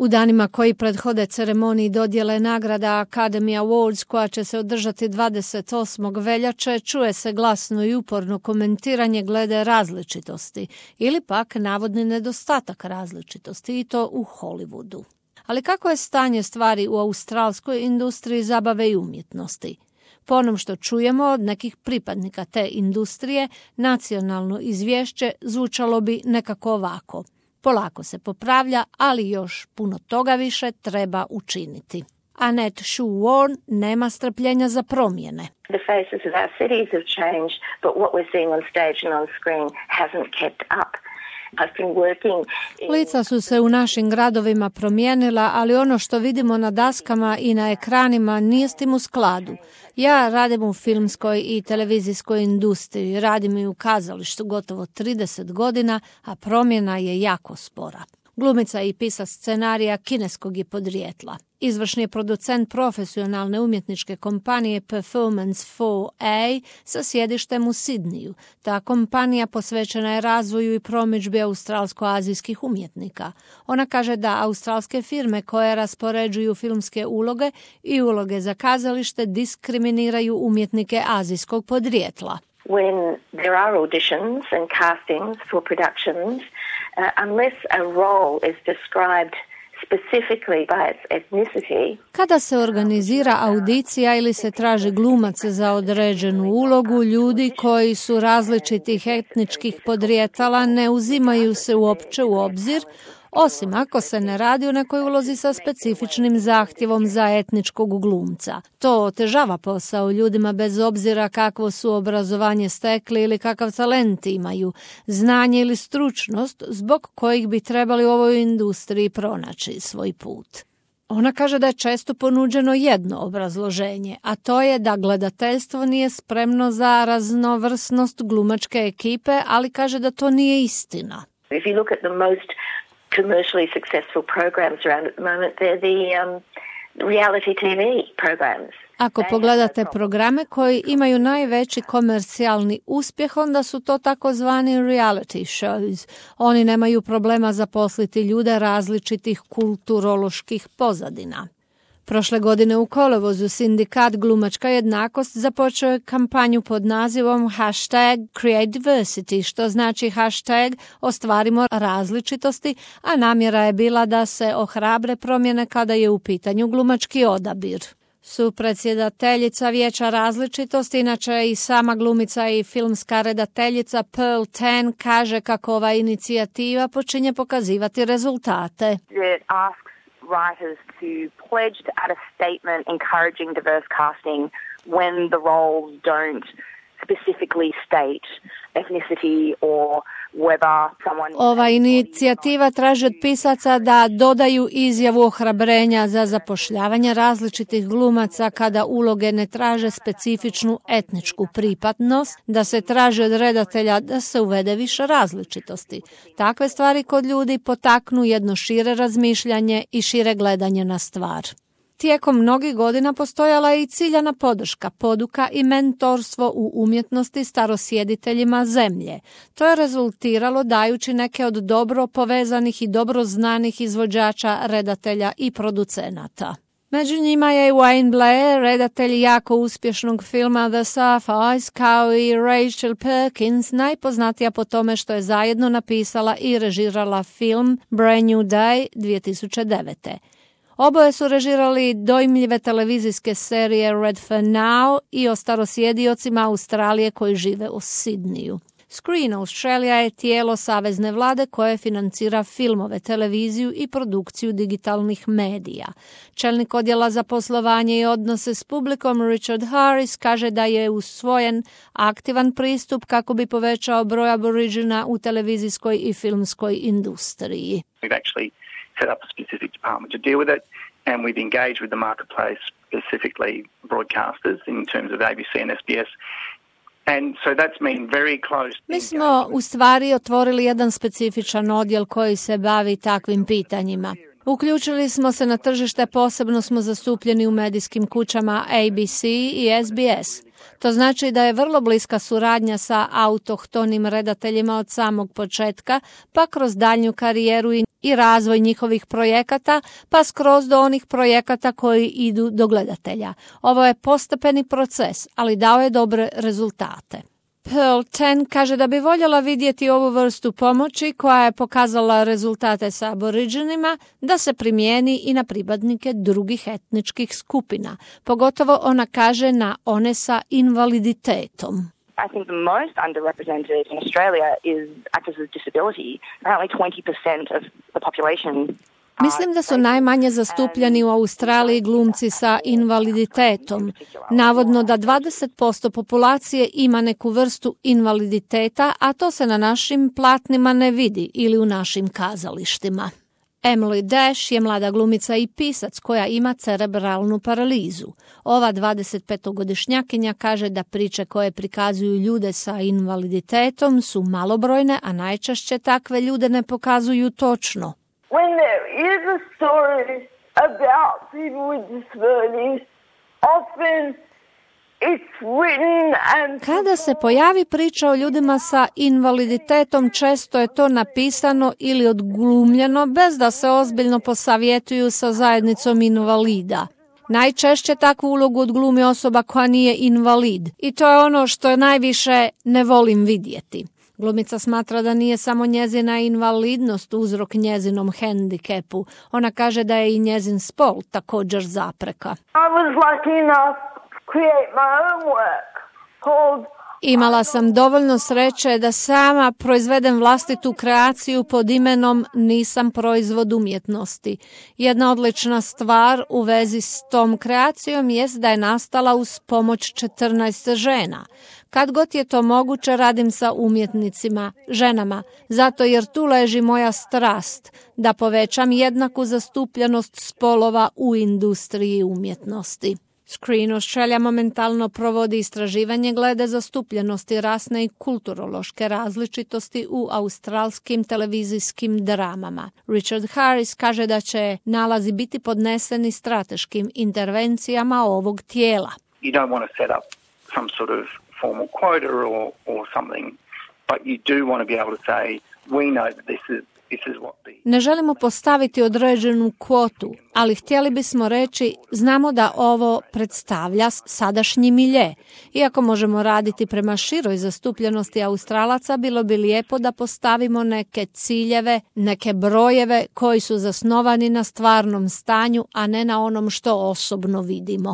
U danima koji prethode ceremoniji dodjele nagrada Academy Awards koja će se održati 28. veljače, čuje se glasno i uporno komentiranje glede različitosti ili pak navodni nedostatak različitosti i to u Hollywoodu. Ali kako je stanje stvari u australskoj industriji zabave i umjetnosti? Po onom što čujemo od nekih pripadnika te industrije, nacionalno izvješće zvučalo bi nekako ovako. Polako se popravlja, ali još puno toga više treba učiniti. Annette Shu-Warn nema strpljenja za promjene. The faces of our cities have changed, but what we're seeing on stage and on screen hasn't kept up. Lica su se u našim gradovima promijenila, ali ono što vidimo na daskama i na ekranima nije s tim u skladu. Ja radim u filmskoj i televizijskoj industriji, radim i u kazalištu gotovo 30 godina, a promjena je jako spora. Glumica i pisac scenarija kineskog je podrijetla. Izvršni je producent profesionalne umjetničke kompanije Performance 4A sa sjedištem u Sidniju. Ta kompanija posvećena je razvoju i promidžbi australsko-azijskih umjetnika. Ona kaže da australske firme koje raspoređuju filmske uloge i uloge za kazalište diskriminiraju umjetnike azijskog podrijetla. When there are auditions and castings for productions, unless a role is described specifically by its ethnicity. Kada se organizira audicija ili se traži glumac za određenu ulogu, ljudi koji su različitih etničkih podrijetala ne uzimaju se uopće u obzir, osim ako se ne radi o nekoj ulozi sa specifičnim zahtjevom za etničkog glumca. To otežava posao ljudima bez obzira kakvo su obrazovanje stekli ili kakav talent imaju, znanje ili stručnost zbog kojih bi trebali u ovoj industriji pronaći svoj put. Ona kaže da je često ponuđeno jedno obrazloženje, a to je da gledateljstvo nije spremno za raznovrsnost glumačke ekipe, ali kaže da to nije istina. If you look at the most commercially successful programs around at the moment, they're the reality TV programs. Ako pogledate programe koji imaju najveći komercijalni uspjeh, onda su to takozvani reality shows. Oni nemaju problema zaposliti ljude različitih kulturoloških pozadina. Prošle godine u kolovozu sindikat Glumačka jednakost započeo je kampanju pod nazivom #CreateDiversity, što znači hashtag ostvarimo različitosti, a namjera je bila da se ohrabre promjene kada je u pitanju glumački odabir. Supredsjedateljica Vijeća različitosti, inače i sama glumica i filmska redateljica Pearl Tan, kaže kako ova inicijativa počinje pokazivati rezultate. Writers to pledge to add a statement encouraging diverse casting when the roles don't specifically state ethnicity or whether someone... Ova inicijativa traži od pisaca da dodaju izjavu ohrabrenja za zapošljavanje različitih glumaca kada uloge ne traže specifičnu etničku pripadnost, da se traži od redatelja da se uvede više različitosti. Takve stvari kod ljudi potaknu jedno šire razmišljanje i šire gledanje na stvar. Tijekom mnogih godina postojala je i ciljana podrška, poduka i mentorstvo u umjetnosti starosjediteljima zemlje. To je rezultiralo dajući neke od dobro povezanih i dobro znanih izvođača, redatelja i producenata. Među njima je Wayne Blair, redatelj jako uspješnog filma The Sapphires, kao i Rachel Perkins, najpoznatija po tome što je zajedno napisala i režirala film Brand New Day 2009. Oboje su režirali dojmljive televizijske serije Red for Now i o starosjediocima Australije koji žive u Sidniju. Screen Australia je tijelo savezne vlade koje financira filmove, televiziju i produkciju digitalnih medija. Čelnik odjela za poslovanje i odnose s publikom Richard Harris kaže da je usvojen aktivan pristup kako bi povećao broj Aborigina u televizijskoj i filmskoj industriji. Set up a specific department to deal with it, and we've engaged with the marketplace, specifically broadcasters in terms of ABC and SBS. And so that's been very close. Mi smo u stvari otvorili jedan specifičan odjel koji se bavi takvim pitanjima. Uključili smo se na tržište, posebno smo zastupljeni u medijskim kućama ABC i SBS. To znači da je vrlo bliska suradnja sa autohtonim redateljima od samog početka, pa kroz daljnju karijeru i razvoj njihovih projekata, pa skroz do onih projekata koji idu do gledatelja. Ovo je postepeni proces, ali dao je dobre rezultate. Pearl Ten kaže da bi voljela vidjeti ovu vrstu pomoći koja je pokazala rezultate sa Aboriginima da se primijeni i na pripadnike drugih etničkih skupina. Pogotovo ona kaže na one sa invaliditetom. I think the most underrepresented in Australia is actors with disability. Apparently 20% of the population. Mislim da su najmanje zastupljeni u Australiji glumci sa invaliditetom. Navodno da 20% populacije ima neku vrstu invaliditeta, a to se na našim platnima ne vidi ili u našim kazalištima. Emily Dash je mlada glumica i pisac koja ima cerebralnu paralizu. Ova 25-godišnjakinja kaže da priče koje prikazuju ljude sa invaliditetom su malobrojne, a najčešće takve ljude ne pokazuju točno. When there is a story about people with disabilities, often it's written and... Kada se pojavi priča o ljudima sa invaliditetom, često je to napisano ili odglumljeno bez da se ozbiljno posavjetuju sa zajednicom invalida. Najčešće takvu ulogu odglumi osoba koja nije invalid i to je ono što najviše ne volim vidjeti. Glumica smatra da nije samo njezina invalidnost uzrok njezinom hendikepu. Ona kaže da je i njezin spol također zapreka. I was lucky enough to create my own work called... Imala sam dovoljno sreće da sama proizvedem vlastitu kreaciju pod imenom Nisam proizvod umjetnosti. Jedna odlična stvar u vezi s tom kreacijom jest da je nastala uz pomoć 14 žena. Kad god je to moguće, radim sa umjetnicima, ženama, zato jer tu leži moja strast, da povećam jednaku zastupljenost spolova u industriji umjetnosti. Screen Australia momentalno provodi istraživanje glede zastupljenosti rasne i kulturološke različitosti u australskim televizijskim dramama. Richard Harris kaže da će nalazi biti podneseni strateškim intervencijama ovog tijela. You don't want to set up some sort of formal quota or something, but you do want to be able to say, we know that this is what the... Ne želimo postaviti određenu kvotu, ali htjeli bismo reći, znamo da ovo predstavlja sadašnji milje. Iako možemo raditi prema široj zastupljenosti Australaca, bilo bi lijepo da postavimo neke ciljeve, neke brojeve koji su zasnovani na stvarnom stanju, a ne na onom što osobno vidimo.